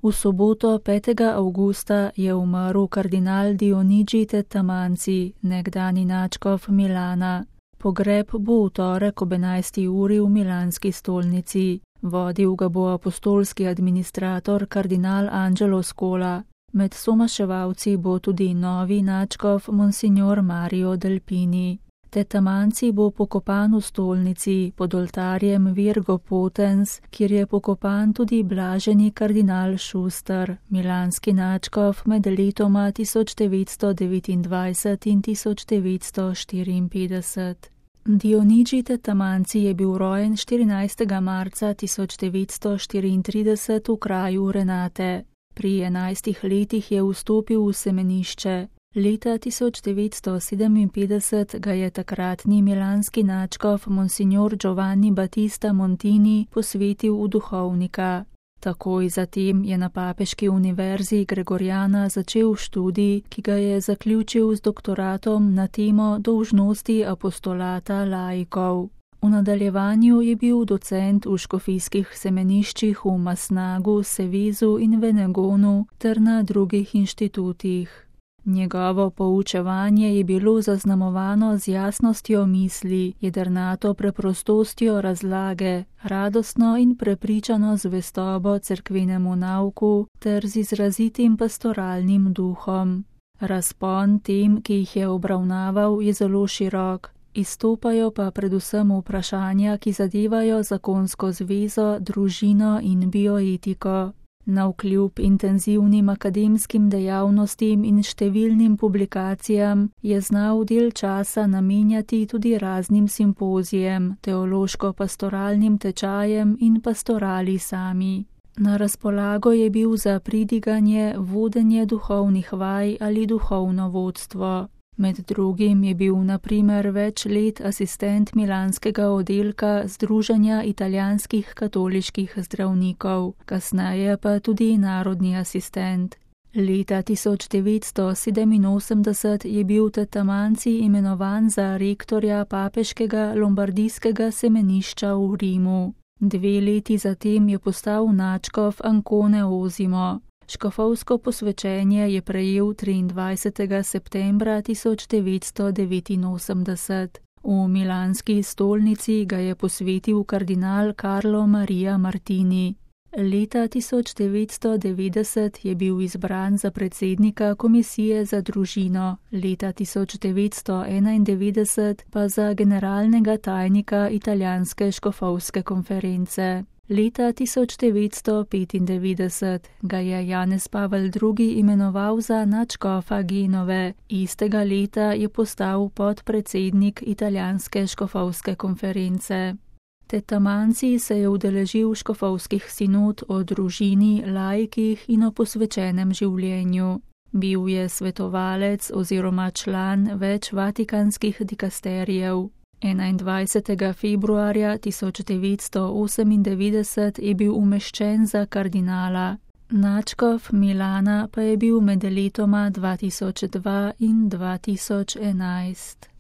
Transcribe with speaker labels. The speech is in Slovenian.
Speaker 1: V soboto 5. avgusta je umrl kardinal Dionigi Tettamanzi, nekdani nadškof Milana. Pogreb bo v torek ob 11. uri v milanski stolnici. Vodil ga bo apostolski administrator kardinal Angelo Scola. Med somaševalci bo tudi novi nadškof monsignor Mario Delpini. Tettamanzi bo pokopan v stolnici pod oltarjem Virgo Potens, kjer je pokopan tudi blaženi kardinal Schuster, milanski nadškof med letoma 1929 in 1954. Dionigi Tettamanzi je bil rojen 14. marca 1934 v kraju Renate. Pri 11 letih je vstopil v semenišče. Leta 1957 ga je takratni milanski nadškof monsignor Giovanni Battista Montini posvetil v duhovnika. Takoj zatem je na papeški univerzi Gregoriana začel študij, ki ga je zaključil z doktoratom na temo dolžnosti apostolata laikov. V nadaljevanju je bil docent v škofijskih semeniščih v Masnagu, Sevezu in Venegonu ter na drugih inštitutih. Njegovo poučevanje je bilo zaznamovano z jasnostjo misli, jedrnato preprostostjo razlage, radostno in prepričano zvestobo cerkvenemu nauku ter z izrazitim pastoralnim duhom. Razpon tem, ki jih je obravnaval, je zelo širok, izstopajo pa predvsem vprašanja, ki zadevajo zakonsko zvezo, družino in bioetiko. Navkljub intenzivnim akademskim dejavnostim in številnim publikacijam je znal del časa namenjati tudi raznim simpozijem, teološko-pastoralnim tečajem in pastorali sami. Na razpolago je bil za pridiganje, vodenje duhovnih vaj ali duhovno vodstvo. Med drugim je bil na primer več let asistent milanskega oddelka Združenja italijanskih katoliških zdravnikov, kasneje pa tudi narodni asistent. Leta 1987 je bil Tettamanzi imenovan za rektorja papeškega lombardijskega semenišča v Rimu. 2 leti zatem je postal nadškof Ancone Osimo. Škofovsko posvečenje je prejel 23. septembra 1989. V milanski stolnici ga je posvetil kardinal Carlo Maria Martini. Leta 1990 je bil izbran za predsednika komisije za družino, leta 1991 pa za generalnega tajnika italijanske škofovske konference. Leta 1995 ga je Janez Pavel II. Imenoval za nadškofa Genove, istega leta je postal podpredsednik italijanske škofovske konference. Tettamanzi se je udeležil škofovskih sinod o družini, laikih in o posvečenem življenju. Bil je svetovalec oziroma član več vatikanskih dikasterijev. 21. februarja 1998 je bil umeščen za kardinala. Nadškof Milana pa je bil med letoma 2002 in 2011.